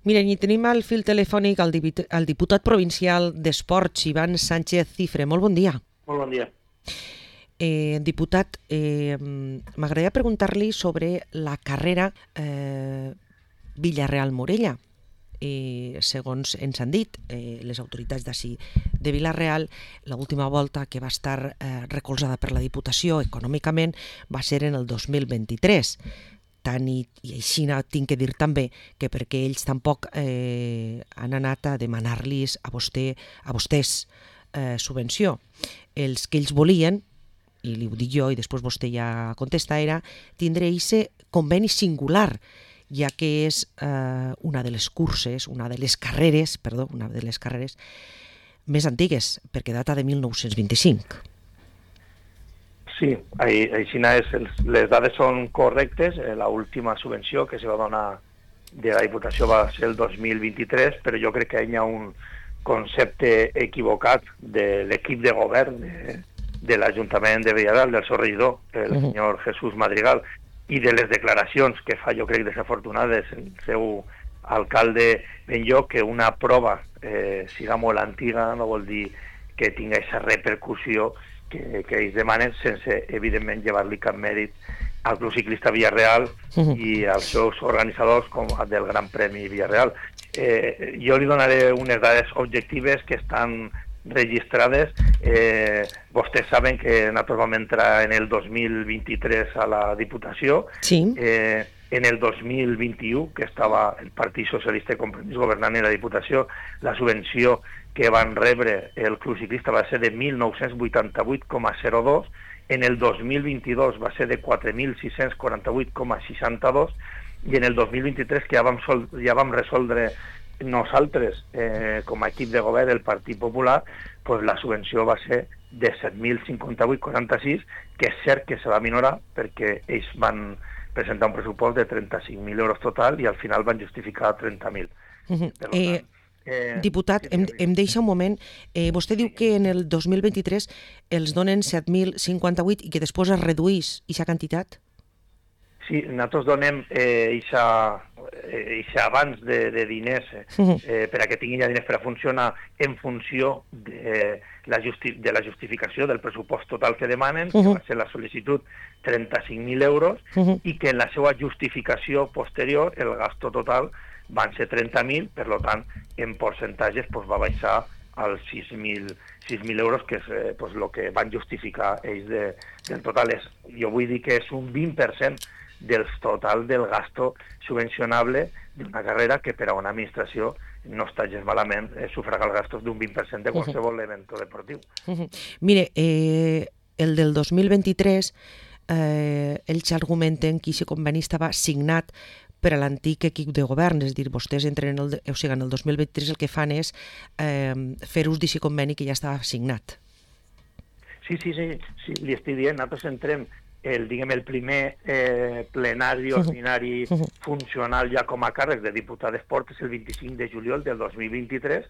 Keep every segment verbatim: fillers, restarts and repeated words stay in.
Miren, i tenim al fil telefònic el, diputat, el diputat provincial d'Esports, Ivan Sánchez Cifre. Molt bon dia. Molt bon dia. Eh, diputat, eh, m'agradaria preguntar-li sobre la carrera eh, Villarreal-Morella. Eh, segons ens han dit eh, les autoritats d'ací de Vila-real, l'última volta que va estar eh, recolzada per la Diputació econòmicament va ser en el dos mil vint-i-tres. Tant i, i així tinc que dir també que perquè ells tampoc eh, han anat a demanar-los a, vostè, a vostès eh, subvenció. Els que ells volien, i li ho dic jo i després vostè ja contesta, era tindre aquest conveni singular, ja que és eh, una de les curses, una de les carreres, perdó, una de les carreres més antigues, perquè data de mil nou-cents vint-i-cinc. Sí, així és, les dades són correctes. L'última subvenció que se va donar de la Diputació va ser el dos mil vint-i-tres, però jo crec que hi ha un concepte equivocat de l'equip de govern de, de l'Ajuntament de Villarreal, del seu regidor, el uh-huh. senyor Jesús Madrigal, i de les declaracions que fa, jo crec, desafortunades el seu alcalde Benlloc, que una prova eh, siga molt antiga no vol dir que tingui aquesta repercussió que, que ells demanen, sense, evidentment, llevar-li cap mèrit al Club Ciclista Villarreal uh-huh. i als seus organitzadors com del Gran Premi Villarreal. Eh, jo li donaré unes dades objectives que estan registrades. Eh, vostès saben que nosaltres vam entrar en el dos mil vint-i-tres a la Diputació. Sí. Eh, en el dos mil vint-i-u, que estava el Partit Socialista i Compromís governant en la Diputació, la subvenció que van rebre el Club Ciclista va ser de mil nou-cents vuitanta-vuit coma zero dos, en el dos mil vint-i-dos va ser de quatre mil sis-cents quaranta-vuit coma seixanta-dos i en el dos mil vint-i-tres, que ja vam, sol, ja vam resoldre nosaltres, eh, com a equip de govern del Partit Popular, pues la subvenció va ser de set mil cinquanta-vuit coma quaranta-sis, que és cert que se va minorar perquè ells van presentar un pressupost de trenta-cinc mil euros total i al final van justificar trenta mil. Uh-huh. Eh, eh, diputat, em, em deixa un moment. Eh, vostè diu que en el dos mil vint-i-tres els donen set mil cinquanta-vuit i que després es reduís aquesta quantitat? Sí, nosaltres donem eh, eixa, eh, eixa abans de, de diners eh, per a que tinguin ja diners per a funcionar en funció de la, justi de la justificació del pressupost total que demanen, que va ser la sol·licitud trenta-cinc mil euros, i que en la seva justificació posterior el gasto total van ser trenta mil, per tant, en percentatges pues, va baixar als sis mil euros, que és eh, pues, el que van justificar ells de, del total. És, jo vull dir que és un vint per cent del total del gasto subvencionable d'una carrera que per a una administració no està gens malament eh, sufragar els gastos d'un vint per cent de qualsevol uh-huh. event deportiu. Uh-huh. Mire, eh, el del dos mil vint-i-tres, eh, ells argumenten que aquest conveni estava signat per a l'antic equip de govern, és a dir, vostès entren en el, o sigui, en el dos mil vint-i-tres el que fan és eh, fer ús d'aquest conveni que ja estava signat. Sí, sí, sí, sí, li estic dient, nosaltres entrem el, diguem, el primer eh, plenari ordinari uh-huh. funcional ja com a càrrec de diputat d'esport és el vint-i-cinc de juliol del dos mil vint-i-tres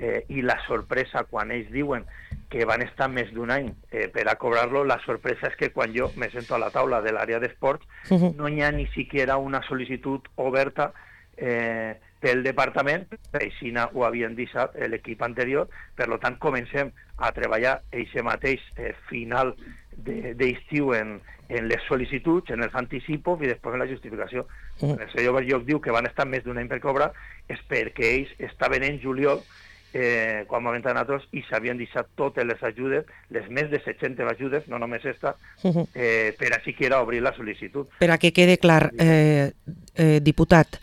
eh, i la sorpresa quan ells diuen que van estar més d'un any eh, per a cobrar-lo, la sorpresa és que quan jo me sento a la taula de l'àrea d'esports uh-huh. no hi ha ni siquiera una sol·licitud oberta eh, pel departament, així ho havien deixat l'equip anterior, per tant comencem a treballar eixe mateix eh, final d'estiu en, en les sol·licituds, en els anticipos i després en la justificació. Uh-huh. El senyor Berlloc diu que van estar més d'un any per cobrar, és perquè ells estaven en juliol eh, quan vam entrar nosaltres i s'havien deixat totes les ajudes, les més de set-centes ajudes, no només esta, uh-huh. eh, per a siquiera obrir la sol·licitud. Per a que quede clar, eh, eh, diputat,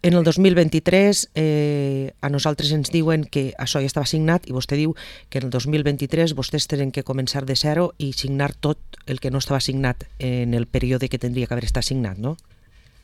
en el dos mil vint-i-tres eh, a nosaltres ens diuen que això ja estava signat i vostè diu que en el dos mil vint-i-tres vostès tenen que començar de zero i signar tot el que no estava signat en el període que tindria que haver estat signat, no?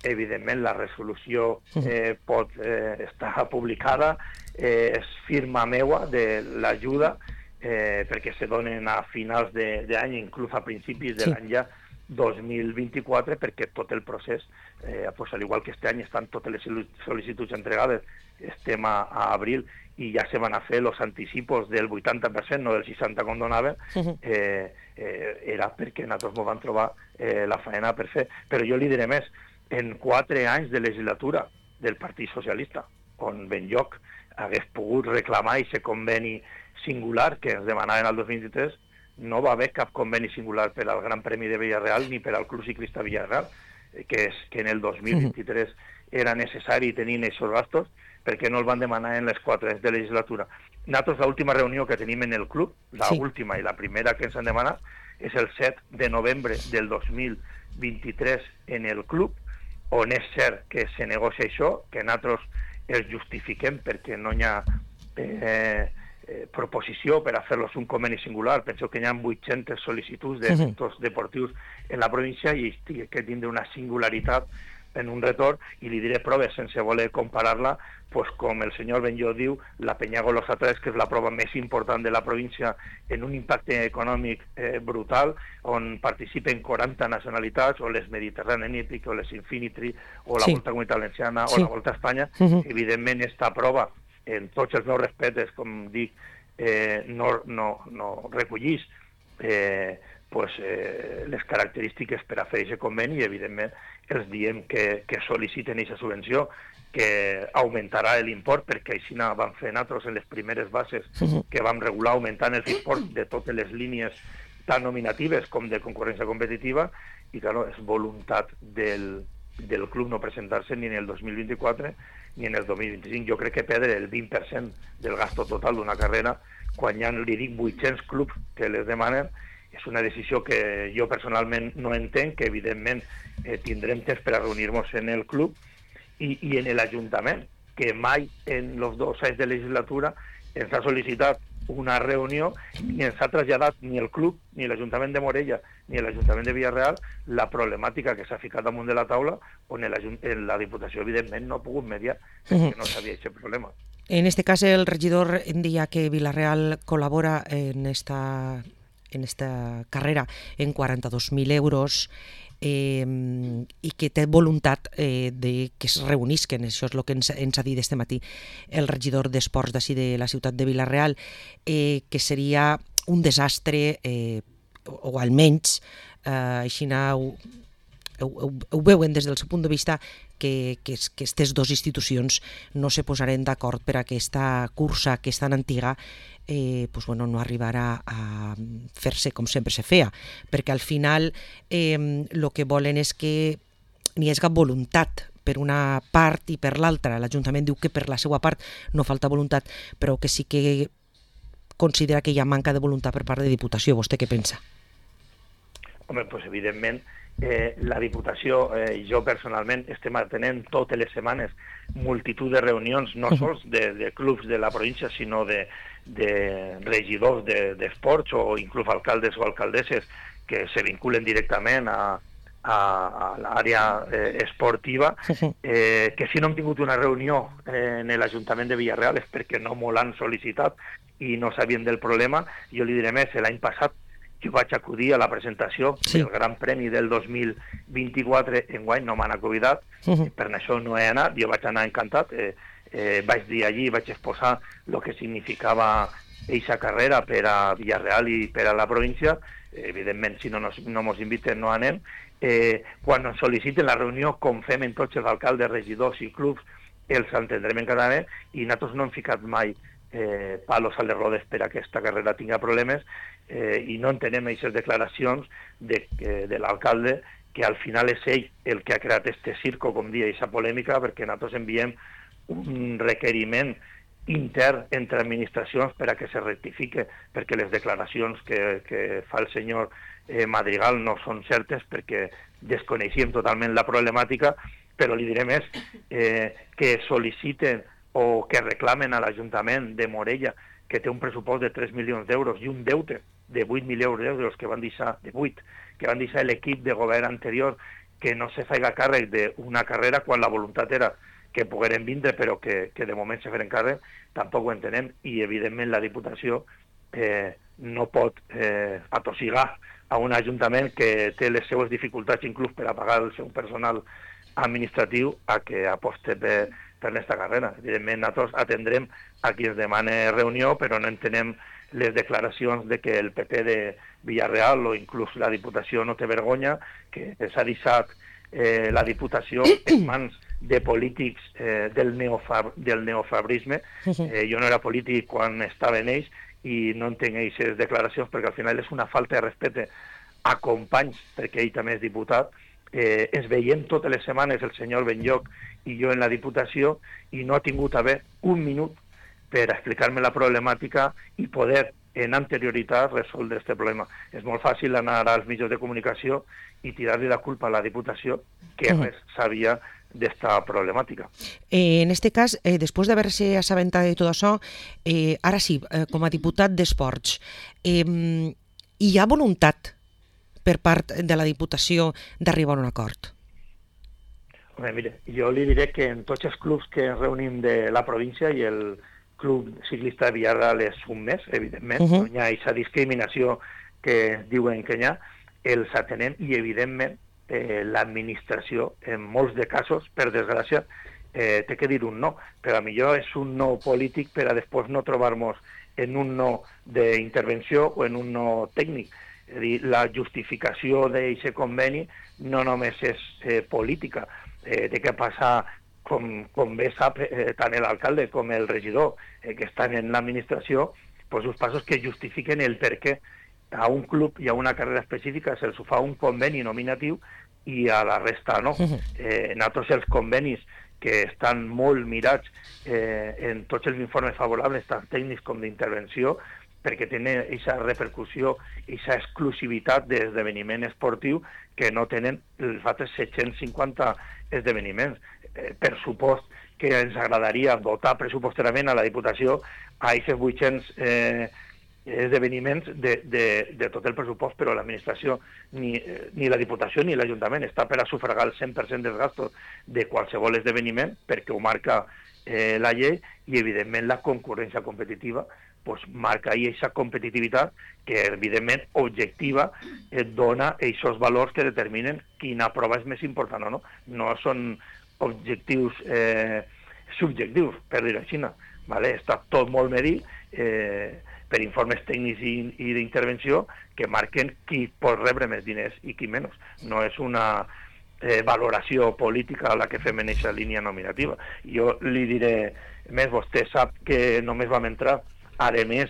Evidentment, la resolució eh, pot eh, estar publicada, eh, és firma meua de l'ajuda, eh, perquè se donen a finals d'any, inclús a principis de l'any ja dos mil vint-i-quatre, perquè tot el procés, eh, pues, al igual que este any estan totes les sol·licituds entregades, estem a, a abril i ja se van a fer els anticipos del vuitanta per cent, no del seixanta per cent com donaven, eh, eh, era perquè nosaltres ens vam trobar eh, la faena per fer. Però jo li diré més, en quatre anys de legislatura del Partit Socialista, on Benlloc hagués pogut reclamar aquest conveni singular que ens demanaven el dos mil vint-i-tres. No va haver cap conveni singular per al Gran Premi de Villarreal ni per al Club Ciclista Villarreal, que és que en el dos mil vint-i-tres era necessari tenir aquests gastos, perquè no el van demanar en les quatre anys de legislatura. Nosaltres, l'última reunió que tenim en el club, l'última sí. i la primera que ens han demanat, és el set de novembre del dos mil vint-i-tres en el club, on és cert que se negocia això, que nosaltres els justifiquem perquè no hi ha eh, eh, proposició per a fer-los un conveni singular. Penso que hi ha vuit-centes sol·licituds de sectors deportius en la província i que tindre una singularitat en un retorn, i li diré proves sense voler comparar-la, pues com el senyor Benlloc diu, la Peñagolosa tres, que és la prova més important de la província en un impacte econòmic eh, brutal, on participen quaranta nacionalitats, o les Mediterranean Epic, o les Infinity, o la sí. Volta Comunitat Valenciana, sí. o la Volta a Espanya. Uh-huh. Evidentment, esta prova, en tots els meus respectes, com dic, eh, no, no, no recollís eh, pues, eh, les característiques per a fer aquest conveni, i evidentment els diem que, que sol·liciten aquesta subvenció, que augmentarà l'import, perquè així vam fer nosaltres en les primeres bases que vam regular augmentant els imports de totes les línies tant nominatives com de concurrència competitiva, i claro, és voluntat del, del club no presentar-se ni en el dos mil vint-i-quatre ni en el dos mil vint-i-cinc. Jo crec que perdre el vint per cent del gasto total d'una carrera, quan hi ha, li dic, vuit-cents clubs que les demanen, és una decisió que jo personalment no entenc, que evidentment eh, tindrem temps per a reunir-nos en el club i, i en l'Ajuntament, que mai en els dos anys de legislatura ens ha sol·licitat una reunió ni ens ha traslladat ni el club, ni l'Ajuntament de Morella, ni l'Ajuntament de Villarreal la problemàtica que s'ha ficat damunt de la taula, on la Diputació evidentment no ha pogut mediar, perquè no sabia aquest problema. En este cas el regidor deia que Villarreal col·labora en esta... en esta carrera en quaranta-dos mil euros eh, i que té voluntat eh, de que es reunisquen, això és el que ens, ens ha dit este matí el regidor d'Esports d'ací de la ciutat de Villarreal, eh, que seria un desastre, eh, o, o almenys eh, així ho, ho, ho veuen des del seu punt de vista, que, que, que aquestes dues institucions no se posaren d'acord per a aquesta cursa que és tan antiga, eh, pues bueno, no arribarà a fer-se com sempre se feia, perquè al final el eh, que volen és que n'hi hagi voluntat per una part i per l'altra. L'Ajuntament diu que per la seva part no falta voluntat, però que sí que considera que hi ha manca de voluntat per part de Diputació. Vostè què pensa? Home, doncs evidentment eh, la Diputació i eh, jo personalment estem atenent totes les setmanes multitud de reunions, no sols de, de clubs de la província, sinó de, de regidors d'esports de, o inclús alcaldes o alcaldesses que se vinculen directament a, a, a l'àrea eh, esportiva, eh, que si no hem tingut una reunió eh, en l'Ajuntament de Villarreal és perquè no m'ho l'han sol·licitat i no sabien del problema. Jo li diré més, l'any passat jo vaig acudir a la presentació sí. del Gran Premi del dos mil vint-i-quatre, enguany no m'han convidat, uh-huh. per això no he anat, jo vaig anar encantat, eh, eh, vaig dir allí, vaig exposar el que significava eixa carrera per a Villarreal i per a la província. Eh, evidentment, si no ens no mos inviten no anem. Eh, quan ens sol·liciten la reunió, com fem en tots els alcaldes, regidors i clubs, els entendrem en cada vegada, i nosaltres no hem ficat mai eh, palos a les rodes per a que aquesta carrera tinga problemes, eh, i no entenem aquestes declaracions de, eh, de l'alcalde, que al final és ell el que ha creat este circo, com dia, aquesta polèmica, perquè nosaltres enviem un requeriment intern entre administracions per a que se rectifique, perquè les declaracions que, que fa el senyor eh, Madrigal no són certes, perquè desconeixíem totalment la problemàtica, però li diré més, eh, que sol·liciten o que reclamen a l'Ajuntament de Morella, que té un pressupost de tres milions d'euros i un deute de vuit milions d'euros que van deixar, de vuit, que van deixar l'equip de govern anterior, que no se faiga càrrec d'una carrera quan la voluntat era que pogueren vindre, però que, que de moment se feren càrrec, tampoc ho entenem, i evidentment la Diputació eh, no pot eh, atossigar a un ajuntament que té les seues dificultats inclús per a pagar el seu personal administratiu a que aposte per, per aquesta carrera. Evidentment nosaltres atendrem a qui ens demana reunió, però no entenem les declaracions de que el P P de Villarreal o inclús la Diputació no té vergonya, que s'ha deixat eh, la Diputació en mans de polítics eh, del, neofab, del neofabrisme. Eh, jo no era polític quan estava en ells i no entenc aquestes declaracions perquè al final és una falta de respecte a companys, perquè ell també és diputat. Eh, es veiem totes les setmanes el senyor Benlloch i jo en la Diputació i no ha tingut a haver un minut per explicar-me la problemàtica i poder en anterioritat resoldre aquest problema. És molt fàcil anar als mitjans de comunicació i tirar-li la culpa a la Diputació que res sabia d'esta problemàtica. Eh, en este cas, eh, després d'haver-se assabentat de tot això, eh, ara sí, eh, com a diputat d'Esports, eh, hi ha voluntat per part de la Diputació d'arribar a un acord? Home, mire, jo li diré que en tots els clubs que ens reunim de la província i el Club Ciclista de Villarreal és un més, evidentment, uh -huh. no hi ha aquesta discriminació que diuen que hi ha, els atenem i, evidentment, eh, l'administració, en molts de casos, per desgràcia, eh, té que dir un no, però a millor és un no polític per a després no trobar-nos en un no d'intervenció o en un no tècnic. És a dir, la justificació d'aquest conveni no només és eh, política, eh, té que passar, com, com bé sap eh, tant l'alcalde com el regidor eh, que estan en l'administració, pues, els passos que justifiquen el per què a un club i a una carrera específica se'ls fa un conveni nominatiu i a la resta no. Eh, nosaltres els convenis que estan molt mirats eh, en tots els informes favorables, tant tècnics com d'intervenció, perquè tenen aquesta repercussió, aquesta exclusivitat d'esdeveniment esportiu que no tenen els altres set-cents cinquanta esdeveniments. Eh, per supost que ens agradaria dotar pressupostàriament a la Diputació a aquests vuit-cents eh, esdeveniments de, de, de tot el pressupost, però l'administració, ni, ni la Diputació ni l'Ajuntament està per a sufragar el cent per cent dels gastos de qualsevol esdeveniment, perquè ho marca eh, la llei, i evidentment la concurrència competitiva pues, marca ahí aquesta competitivitat que evidentment objectiva et dona aquests valors que determinen quina prova és més important o no. No són objectius eh, subjectius, per dir-ho així, ¿vale? Està tot molt medit eh, per informes tècnics i, i d'intervenció que marquen qui pot rebre més diners i qui menys. No és una eh, valoració política a la que fem en aquesta línia nominativa. Jo li diré més, vostè sap que només vam entrar, a més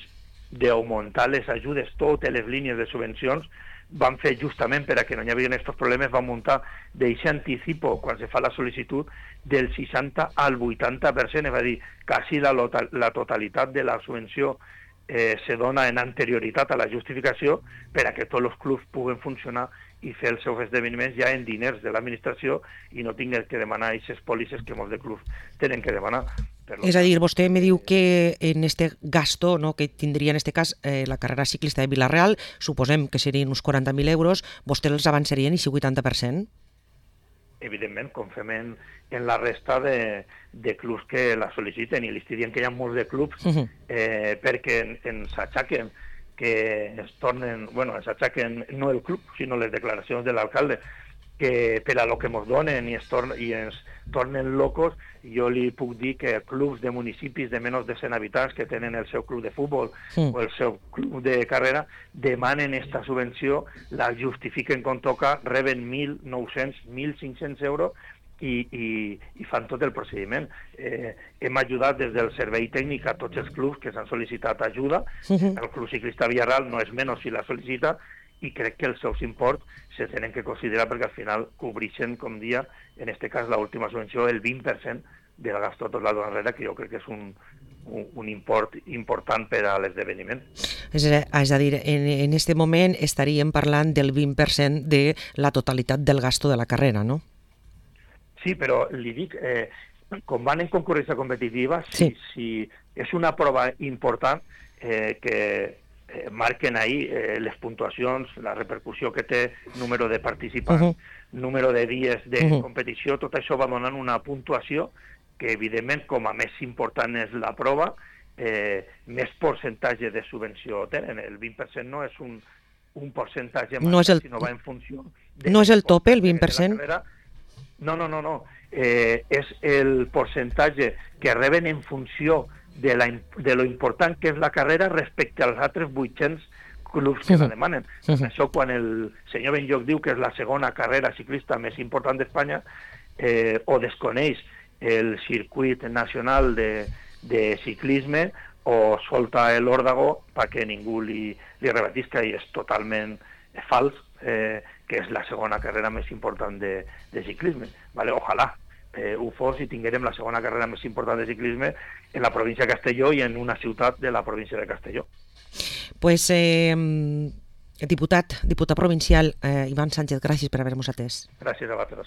d'augmentar les ajudes, totes les línies de subvencions, van fer justament per a que no hi havia aquests problemes, van muntar d'aquest anticipo, quan se fa la sol·licitud, del seixanta al vuitanta per cent, és a dir, quasi la, la totalitat de la subvenció eh, se dona en anterioritat a la justificació per a que tots els clubs puguen funcionar i fer els seus esdeveniments ja en diners de l'administració i no tinguin que demanar aquestes pòlisses que molts de clubs tenen que demanar. És a dir, vostè me diu que en este gasto, no, que tindria en este cas eh, la carrera ciclista de Vila-real, suposem que serien uns quaranta mil euros, vostè els avançarien i si vuitanta per cent? Evidentment, com fem en, en la resta de, de clubs que la sol·liciten, i li estic dient que hi ha molts de clubs uh-huh. eh, perquè ens aixaquen que es tornen, bueno, ens aixaquen no el club, sinó les declaracions de l'alcalde, que per a lo que ens donen i, es torn, i ens tornen locos. Jo li puc dir que clubs de municipis de menys de cent habitants que tenen el seu club de futbol sí. o el seu club de carrera demanen esta subvenció, la justifiquen com toca, reben mil nou-cents, mil cinc-cents euros i, i, i fan tot el procediment. Eh, hem ajudat des del servei tècnic a tots els clubs que s'han sol·licitat ajuda. Sí. El Club Ciclista Villarreal no és menys si la sol·licita, i crec que els seus imports se tenen que considerar perquè al final cobreixen, com dia, en aquest cas l'última subvenció, el vint per cent del gasto tot l'any darrere, que jo crec que és un, un, un import important per a l'esdeveniment. És a, és a dir, en, en este moment estaríem parlant del vint per cent de la totalitat del gasto de la carrera, no? Sí, però li dic, eh, com van en concurrència competitiva, si, sí. si és una prova important eh, que Eh, marquen ahí eh, les puntuacions, la repercussió que té, número de participants, uh-huh. número de dies de uh-huh. competició, tot això va donant una puntuació que, evidentment, com a més important és la prova, eh, més percentatge de subvenció tenen. El vint per cent no és un, un percentatge no més, el... sinó va en funció... No és el tope, el vint per cent? No, no, no, no. Eh, és el percentatge que reben en funció de, la, de lo important que és la carrera respecte als altres vuit-cents clubs que la demanen. Uh-huh. Això quan el senyor Benlloch diu que és la segona carrera ciclista més important d'Espanya, eh, o desconeix el circuit nacional de, de ciclisme o solta l'òrdago perquè ningú li, li rebatisca, i és totalment fals, eh, que és la segona carrera més important de, de ciclisme. Vale? Ojalà eh, ho fos i tinguérem la segona carrera més important de ciclisme en la província de Castelló i en una ciutat de la província de Castelló. Pues, eh, diputat, diputat provincial eh, Ivan Sánchez, gràcies per haver-nos atès. Gràcies a vosaltres.